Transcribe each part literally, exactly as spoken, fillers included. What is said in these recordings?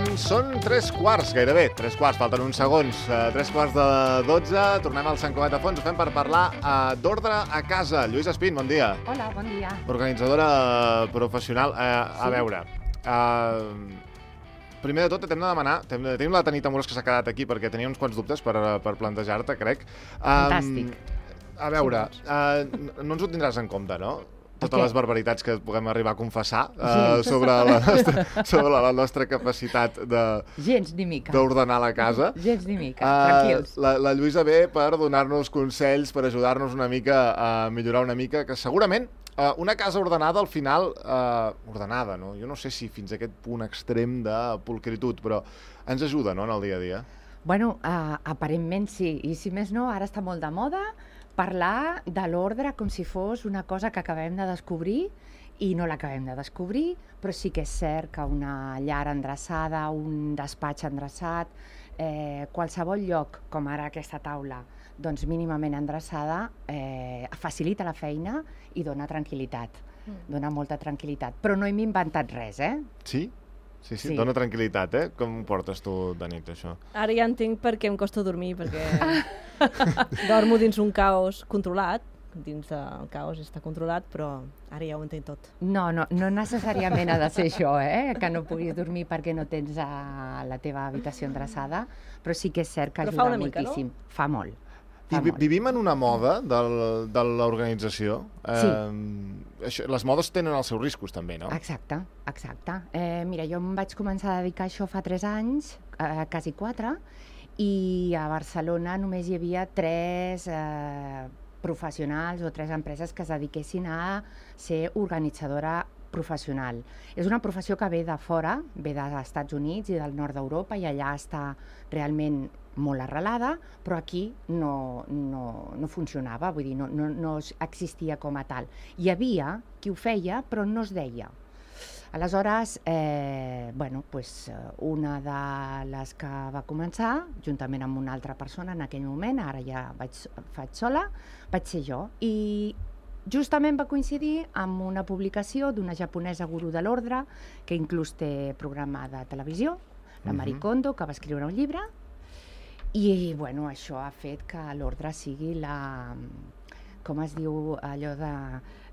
Doncs són tres quarts, gairebé, tres quarts, falten uns segons, uh, tres quarts de dotze, tornem al Sant Cugat a Fons, ho fem per parlar uh, d'ordre a casa. Lluís Espín, bon dia. Hola, bon dia. Organitzadora professional. Uh, sí? A veure, uh, primer de tot t'hem de demanar, tenim la Tanit Amorós que s'ha quedat aquí perquè tenia uns quants dubtes per, per plantejar-te, crec. Um, Fantàstic. A veure, uh, no ens ho tindràs en compte, no? Totes les barbaritats que puguem arribar a confessar uh, sobre, la nostra, sobre la nostra capacitat de gens ni mica d'ordenar la casa. Gens ni mica, uh, tranquils. La, la Lluïsa ve per donar-nos consells, per ajudar-nos una mica a millorar una mica, que segurament uh, una casa ordenada al final, uh, ordenada, no? Jo no sé si fins a aquest punt extrem de pulcritud, però ens ajuda, no?, en el dia a dia. Bueno, uh, aparentment sí, i si més no, ara està molt de moda parlar de l'ordre com si fos una cosa que acabem de descobrir i no l'acabem de descobrir, però sí que és cert que una llar endreçada, un despatx endreçat, eh, qualsevol lloc, com ara aquesta taula, doncs mínimament endreçada, eh, facilita la feina i dona tranquil·litat, mm. dona molta tranquil·litat. Però no hem inventat res, eh? Sí? Sí, sí, sí, dona tranquil·litat, eh? Com ho portes tu de nit, això? Ara ja entenc per què em costa dormir, perquè dormo dins un caos controlat, dins del caos està controlat, però ara ja ho entenc tot. No, no, no necessàriament ha de ser això, eh? Que no puguis dormir perquè no tens a la teva habitació endreçada, però sí que és cert que però ajuda fa una mica, moltíssim. No? Fa molt. I vivim en una moda del, de l'organització. Sí. Eh, això, les modes tenen els seus riscos, també, no? Exacte, exacte. Eh, mira, jo em vaig començar a dedicar a això fa tres anys, eh, quasi quatre, i a Barcelona només hi havia tres eh, professionals o tres empreses que es dediquessin a ser organitzadora professional. És una professió que ve de fora, ve dels Estats Units i del nord d'Europa, i allà està realment molt arrelada, però aquí no, no, no funcionava, vull dir, no, no, no existia com a tal. Hi havia qui ho feia, però no es deia. Aleshores, eh, bueno, pues, una de les que va començar, juntament amb una altra persona en aquell moment, ara ja vaig, faig sola, vaig ser jo. I justament va coincidir amb una publicació d'una japonesa gurú de l'ordre, que inclús té programa de televisió, la Marie Kondo, que va escriure un llibre, i bueno, això ha fet que l'ordre sigui la, com es diu allò de...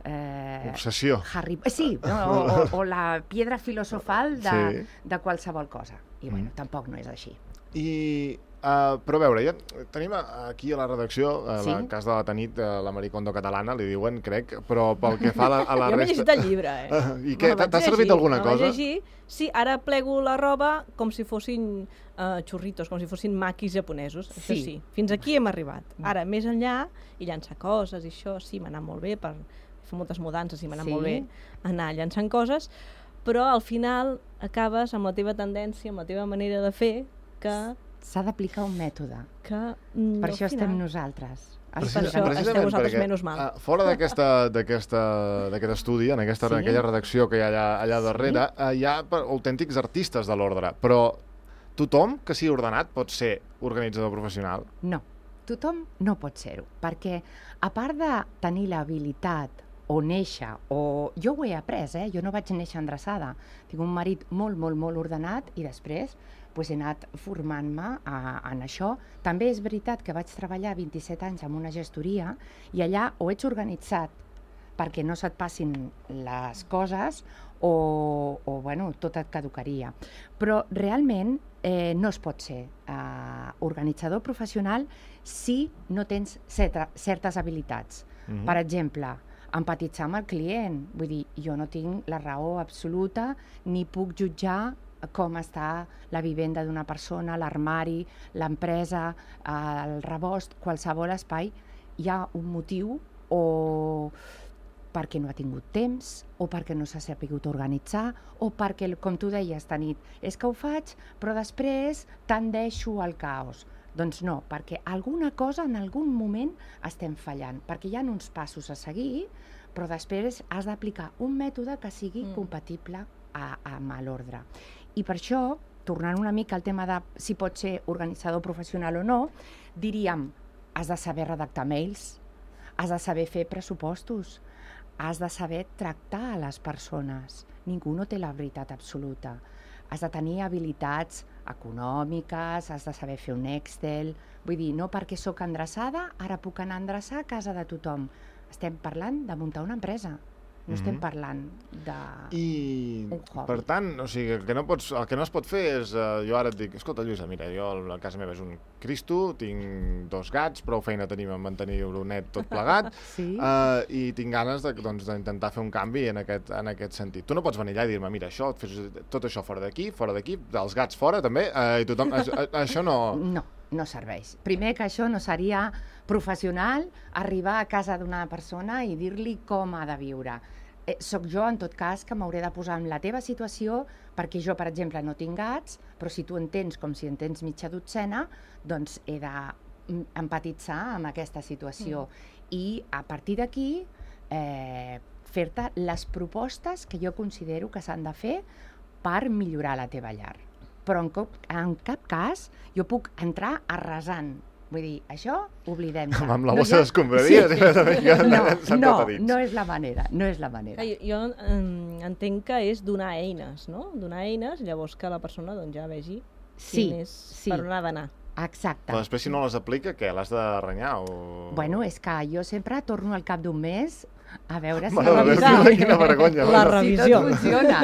Eh, Obsessió. Harry, sí, no, o, o, o la piedra filosofal de, sí. de qualsevol cosa. I bueno, mm. tampoc no és així. I, uh, però a veure, ja tenim aquí a la redacció, a sí? la cas de la Tanit, la Marie Kondo catalana, li diuen, crec, però pel que fa a la, a la jo resta... Jo m'he llegit el llibre, eh? Uh, I què? T'ha servit alguna cosa? Llegir. Sí, ara plego la roba com si fossin uh, xurritos, com si fossin maquis japonesos, sí. Això sí. Fins aquí hem arribat. Ara, més enllà, i llançar coses, i això sí, m'ha anat molt bé, per fer moltes mudances i m'ha anat sí. molt bé anar llançant coses, però al final acabes amb la teva tendència, amb la teva manera de fer, que... S'ha d'aplicar un mètode. Que, no, per això final... estem nosaltres. Per això esteu vosaltres perquè, menys mal. Uh, fora d'aquest estudi, en, aquesta, sí? en aquella redacció que hi ha allà, allà darrere, sí? uh, hi ha autèntics artistes de l'ordre, però tothom que sigui ordenat pot ser organitzador professional? No, tothom no pot ser-ho, perquè a part de tenir l'habilitat o néixer, o jo ho he après, eh? Jo no vaig néixer endreçada, tinc un marit molt, molt, molt ordenat i després pues, he anat formant-me en això. També és veritat que vaig treballar vint-i-set anys en una gestoria i allà o ets organitzat perquè no se't passin les coses o, o bueno, tot et caducaria. Però realment eh, no es pot ser eh, organitzador professional si no tens certa, certes habilitats. Mm-hmm. Per exemple, empatitzar amb el client. Vull dir, jo no tinc la raó absoluta ni puc jutjar com està la vivenda d'una persona, l'armari, l'empresa, el rebost, qualsevol espai. Hi ha un motiu o perquè no ha tingut temps, o perquè no s'ha sabut organitzar, o perquè, com tu deies, Tanit, és que ho faig, però després tendeixo al caos. Doncs no, perquè alguna cosa en algun moment estem fallant, perquè hi ha uns passos a seguir, però després has d'aplicar un mètode que sigui mm. compatible a, amb l'ordre. I per això, tornant una mica al tema de si pot ser organitzador professional o no, diríem, has de saber redactar mails, has de saber fer pressupostos, has de saber tractar a les persones. Ningú no té la veritat absoluta. has de tenir habilitats econòmiques, has de saber fer un Excel... Vull dir, no perquè sóc endreçada, ara puc anar a endreçar a casa de tothom. Estem parlant de muntar una empresa. No estem parlant de... I, un hobby. per tant, o sigui, el que no, pots, el que no es pot fer és... Uh, jo ara et dic, escolta, Lluïsa, mira, jo a casa meva és un Cristo, tinc dos gats, prou feina tenim a mantenir-ho net tot plegat, Sí. uh, i tinc ganes de, doncs, d'intentar fer un canvi en aquest, en aquest sentit. Tu no pots venir allà i dir-me, mira, això, fes tot això fora d'aquí, fora d'aquí, els gats fora també, uh, i tothom... Això, això no... No, no serveix. Primer que això no seria professional arribar a casa d'una persona i dir-li com ha de viure. Eh, soc jo, en tot cas, que m'hauré de posar en la teva situació, perquè jo, per exemple, no tinc gats, però si tu en tens com si en tens mitja dotzena, doncs he d'empatitzar amb aquesta situació. Mm. I a partir d'aquí eh, fer-te les propostes que jo considero que s'han de fer per millorar la teva llar. Però en cap, en cap cas jo puc entrar arrasant. Vull dir, això oblidem-se. Amb la bossa no, d'escombraries. Sí. No, no, no és la manera, no és la manera. Jo, jo eh, entenc que és donar eines, no? Donar eines, llavors que la persona doncs, ja vegi sí, quin és, sí. per on ha d'anar. Exacte. Però després, si no les aplica, què? L'has de renyar? O... Bueno, és que jo sempre torno al cap d'un mes a veure si, Mare de Déu, quina vergonya. La bueno. revisió. Si tot funciona.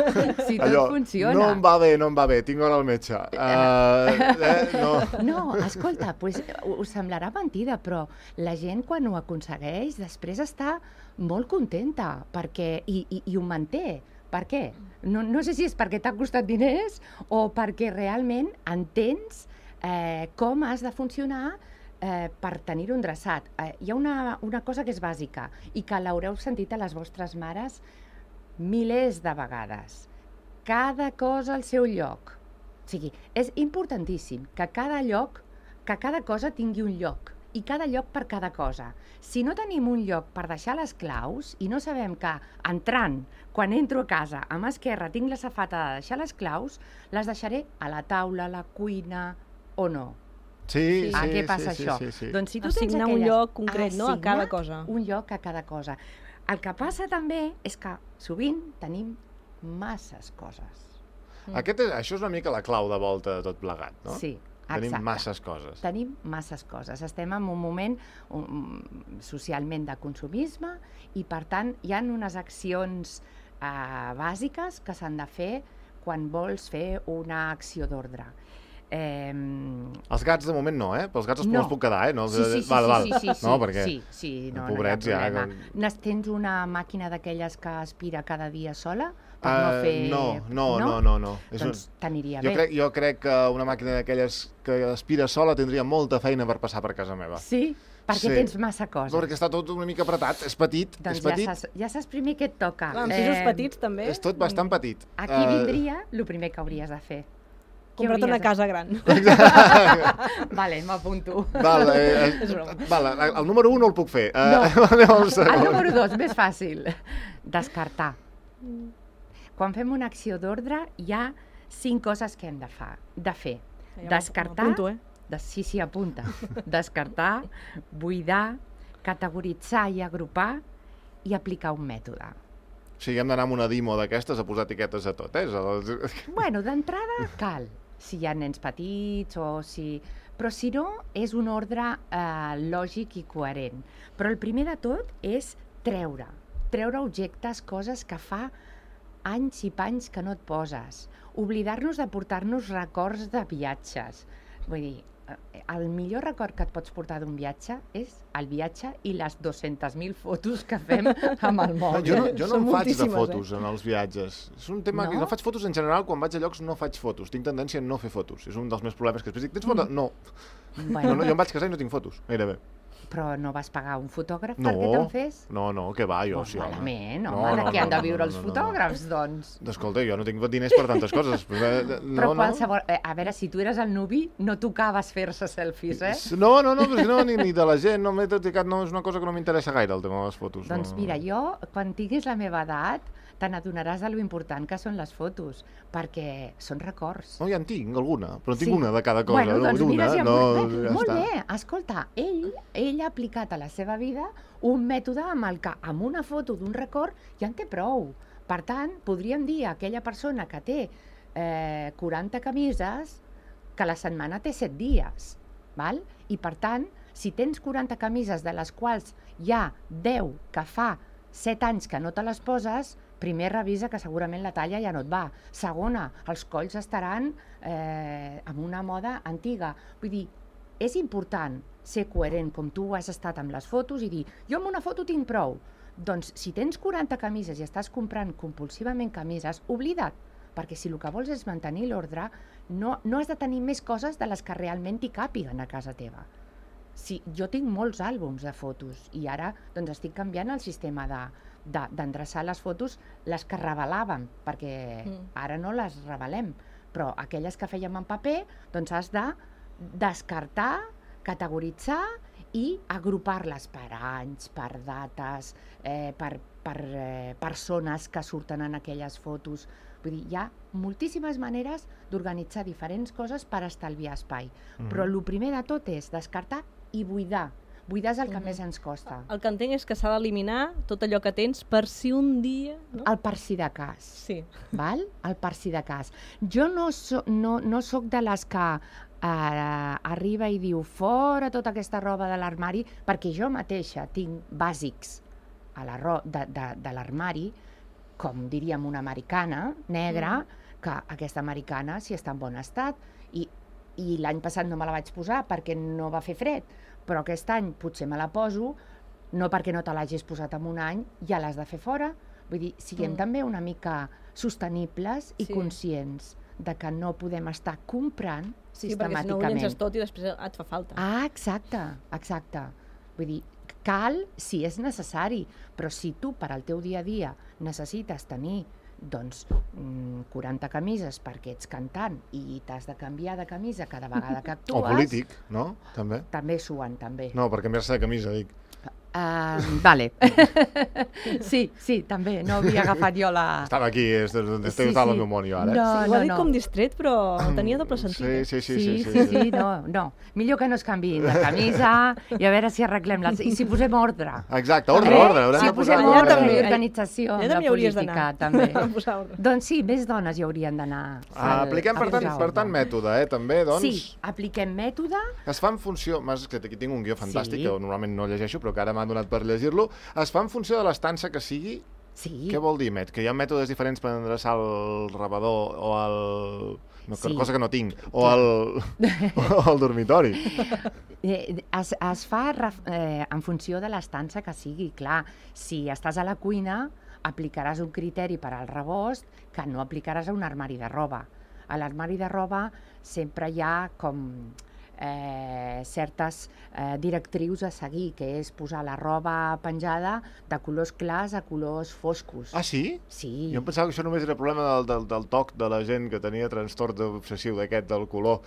Si tot Allò, funciona. no em va bé, no em va bé, tinc hora al metge. Uh, eh, no. No, escolta, pues, us semblarà mentida, però la gent quan ho aconsegueix després està molt contenta perquè, i, i, i ho manté. Per què? No, no sé si és perquè t'ha costat diners o perquè realment entens eh, com has de funcionar eh, per tenir-ho endreçat. Eh, hi ha una, una cosa que és bàsica i que l'haureu sentit a les vostres mares milers de vegades. Cada cosa al seu lloc. O sigui, és importantíssim que cada lloc, que cada cosa tingui un lloc i cada lloc per cada cosa. Si no tenim un lloc per deixar les claus i no sabem que entrant, quan entro a casa, a mà esquerra tinc la safata de deixar les claus, les deixaré a la taula, a la cuina o no. Sí, sí, ah, què sí, passa sí, això? sí, sí. Doncs si tu Assignar tens aquelles... un lloc concret, no?, a cada cosa. un lloc a cada cosa. El que passa també és que sovint tenim masses coses. Aquest és, això és una mica la clau de volta de tot plegat, no? Sí, Tenim exacte. masses coses. Tenim masses coses. Estem en un moment um, socialment de consumisme i, per tant, hi ha unes accions uh, bàsiques que s'han de fer quan vols fer una acció d'ordre. Eh, Els gats de moment no, eh? Però els gats els, no. els puc quedar, eh? No, sí, sí, sí, val, val. sí, sí, sí, no, perquè sí, sí, no, pobrets no hi ha ja... problema. Que... Tens una màquina d'aquelles que aspira cada dia sola per uh, no fer... No, no, no, no. no. És Doncs un... t'aniria jo bé. crec, jo crec que una màquina d'aquelles que aspira sola tindria molta feina per passar per casa meva. Sí? Perquè Sí. tens massa coses. Perquè està tot una mica apretat, és petit, Doncs és petit. ja saps, ja saps primer què et toca. Clar, amb pisos petits també. És tot bastant petit. Aquí Eh, vindria el primer que hauries de fer. Què Compra't una hauries de- casa gran. Vale, m'apunto. Val, eh, És broma. val, el, el número un no el puc fer. Eh, No. anem al El segon. número dos, més fàcil. Descartar. Quan fem una acció d'ordre, hi ha cinc coses que hem de, fa, de fer. Ja Descartar, m'apunto, eh? de, sí, sí, apunta. Descartar, buidar, categoritzar i agrupar i aplicar un mètode. O sigui, hem d'anar amb una Dimo d'aquestes a posar etiquetes a tot, eh? Els- Bueno, d'entrada cal, si hi ha nens petits o si... Però si no, és un ordre eh, lògic i coherent. Però el primer de tot és treure. Treure objectes, coses que fa anys i panys que no et poses. Oblidar-nos de portar-nos records de viatges. Vull dir, eh, el millor record que et pots portar d'un viatge és el viatge i les dues-centes mil fotos que fem amb el No, mòbil. jo no, jo no Són em faig de moltíssimes, fotos en els viatges. És un tema que No? no faig fotos en general, quan vaig a llocs no faig fotos. Tinc tendència a no fer fotos. És un dels meus problemes que després dic, tens fotos? No. Bueno, no, no. Jo em vaig casar i no tinc fotos, gairebé. però no vas pagar un fotògraf No, perquè te'n fes? no, no, què va, jo Pues sí, home. malament, No, home, no, de què no, han de no, viure no, els no, no, no. fotògrafs, doncs? Escolta, jo no tinc diners per tantes coses. Però, eh, Però no, qualsevol... Eh, a veure, si tu eres el nuvi, no tocaves fer-se selfies, eh? No, no, no, perquè no, ni, ni de la gent, no m'he dedicat, no, és una cosa que no m'interessa gaire, el tema de les fotos. Doncs no. mira, jo, quan tinguis la meva edat, te n'adonaràs de lo important que són les fotos, perquè són records. No, ja en tinc alguna, però en tinc Sí. una de cada cosa. Bueno, doncs una, mira, si no, molt bé, ja molt està. bé. Escolta, ell, ell ha aplicat a la seva vida un mètode amb el que, amb una foto d'un record, ja en té prou. Per tant, podríem dir a aquella persona que té eh, quaranta camises que la setmana té set dies, val? I per tant, si tens quaranta camises de les quals hi ha deu que fa set anys que no te les poses, primer revisa que segurament la talla ja no et va. Segona, els colls estaran eh, amb una moda antiga. Vull dir, és important ser coherent com tu has estat amb les fotos i dir, jo amb una foto tinc prou. Doncs si tens quaranta camises i estàs comprant compulsivament camises, oblida't, perquè si el que vols és mantenir l'ordre, no, no has de tenir més coses de les que realment t'hi càpiguen a casa teva. Sí, jo tinc molts àlbums de fotos i ara doncs, estic canviant el sistema de, de, d'endreçar les fotos, les que revelàvem, perquè mm. ara no les revelem, però aquelles que fèiem en paper, doncs has de descartar, categoritzar i agrupar-les per anys, per dates, eh, per, per eh, persones que surten en aquelles fotos. Vull dir, hi ha moltíssimes maneres d'organitzar diferents coses per estalviar espai. Mm-hmm. Però el primer de tot és descartar i buidar. Buidar és el que mm-hmm. més ens costa. El que entenc és que s'ha d'eliminar tot allò que tens per si un dia... No? El per si de cas. Sí. Val? El per si de cas. Jo no, so, no, no soc de les que eh, arriba i diu fora tota aquesta roba de l'armari, perquè jo mateixa tinc bàsics a la ro- de, de, de l'armari, com diríem una americana negra, mm. que aquesta americana sí està en bon estat, i, i l'any passat no me la vaig posar perquè no va fer fred, però aquest any potser me la poso, no perquè no te l'hagis posat en un any, ja l'has de fer fora. Vull dir, siguem mm. també una mica sostenibles i sí. conscients de que no podem estar comprant sí, sistemàticament. Sí, perquè si no ho llences tot i després et fa falta. Ah, exacte, exacte. Vull dir, cal si és necessari, però si tu per al teu dia a dia necessites tenir doncs, quaranta camises perquè ets cantant i t'has de canviar de camisa cada vegada que actues... O polític, no? També. També suen, també. No, per canviar-se de camisa, dic. Uh, vale. sí, sí, també. No havia agafat jo la... Estava aquí, estic sí, total sí. el meu món jo ara. No, sí, ho no, ha dit no. com distret, però tenia doble sentit. Sí, sí, sí. Sí, sí, sí, sí, sí, no, no. Millor que no es canviïn de camisa i a veure si arreglem les... I si posem ordre. Exacte, ordre, Eh? ordre. Haurem Si de posar posem allà ordre també. i organització Allà amb la també hauries política, d'anar. també. A posar ordre. Doncs sí, més dones hi haurien d'anar. Ah, apliquem, per tant, per tant, mètode, eh, també, doncs... Sí, apliquem mètode. Es fa en funció... M'has que aquí tinc un guió fantàstic, Sí. que normalment no llegeixo, però que ara m'ha donat per llegir-lo. Es fa en funció de l'estança que sigui? Sí. Què vol dir, Met? Que hi ha mètodes diferents per endreçar el rebedor o el... No, Sí. cosa que no tinc. O el, o el dormitori. Eh, Es, es fa ref- eh, en funció de l'estança que sigui. Clar, si estàs a la cuina, aplicaràs un criteri per al rebost que no aplicaràs a un armari de roba. A l'armari de roba sempre hi ha com eh, certes eh, directrius a seguir, que és posar la roba penjada de colors clars a colors foscos. Ah, sí? Sí. Jo em pensava que això només era problema del, del, del toc de la gent que tenia trastorn obsessiu d'aquest, del color.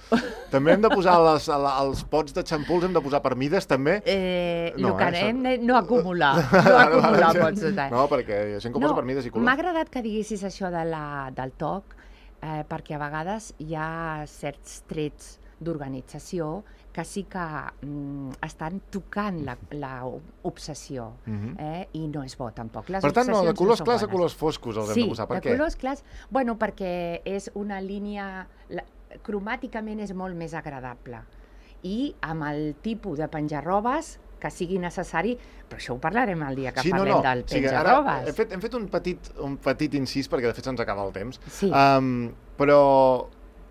També hem de posar les, els pots de xampuls, hem de posar per mides, també? Eh, No, el que eh, anem és no acumular, no acumular pots de... No, perquè hi ha gent que ho posa per mides i color. M'ha agradat que diguessis això de la, del toc, eh, perquè a vegades hi ha certs trets d'organització que sí que mm, estan tocant la, la obsessió, Mhm. eh, i no és bo tampoc. Les Per tant, no, de obsessions colors són clars a bones. colors foscos els Sí, hem de posar. Per de què? colors clars, bueno, perquè és una línia, la, cromàticament és molt més agradable. I amb el tipus de penjar-robes que sigui necessari, però això ho parlarem el dia que Sí, no, parlem no. del O sigui, ara penjar-robes. hem fet, hem fet un, petit, un petit incís, perquè de fet se'ns acaba el temps. Sí. Um, però,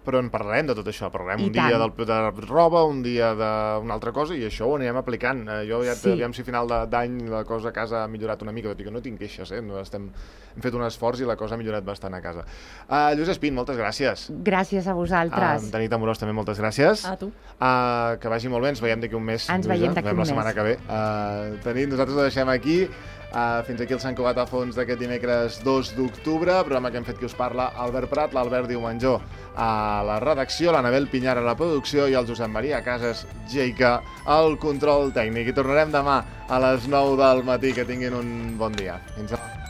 però en parlarem de tot això. Parlarem I un dia tant. del, de roba, un dia d'una altra cosa, i això ho anirem aplicant. Eh, jo ja, Sí. aviam si a final de- d'any la cosa a casa ha millorat una mica, tot i que no tinc queixes, eh? No estem, hem fet un esforç i la cosa ha millorat bastant a casa. Uh, Lluís Espín, moltes gràcies. Gràcies a vosaltres. Uh, Tanit Amorós, també moltes gràcies. A tu. Uh, que vagi molt bé, ens veiem d'aquí un mes. Ens Lluïsa. veiem d'aquí un la setmana mes. que ve. Uh, Tanit, nosaltres ho deixem aquí. Uh, fins aquí el Sant Cugat a fons d'aquest dimecres dos d'octubre, programa que hem fet qui us parla, Albert Prat, l'Albert Diumenjó a la redacció, l'Anabel Pinyar a la producció i el Josep Maria Casas Geica al control tècnic. I tornarem demà a les nou del matí. Que tinguin un bon dia. Fins demà.